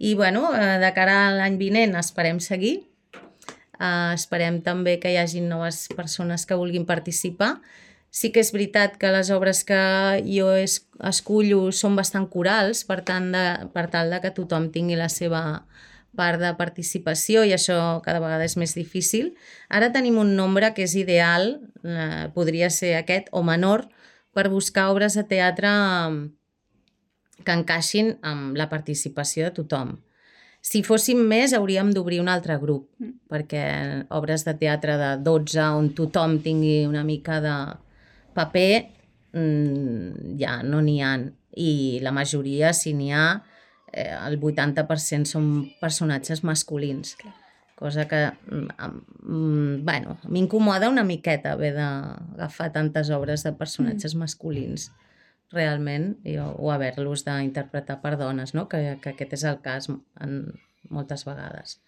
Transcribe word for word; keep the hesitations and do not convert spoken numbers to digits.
I, bueno, de cara a l'any vinent esperem seguir. Uh, esperem també que hi hagi noves persones que vulguin participar. Sí que és veritat que les obres que jo es, escullo són bastant corals, per tant, de, per tal de que tothom tingui la seva part de participació, i això cada vegada és més difícil. Ara tenim un nombre que és ideal, eh, podria ser aquest o menor, per buscar obres de teatre que encaixin amb la participació de tothom. Si fóssim més, hauríem d'obrir un altre grup, mm. perquè obres de teatre de dotze on tothom tingui una mica de paper, mmm, ja no n'hi ha. I la majoria, si n'hi ha, eh, el vuitanta per cent són personatges masculins. Clar. Cosa que, mm, bueno, m'incomoda una miqueta haver d'agafar tantes obres de personatges mm. masculins, realment, i, o haver-los d'interpretar per dones, no? que, que aquest és el cas en moltes vegades.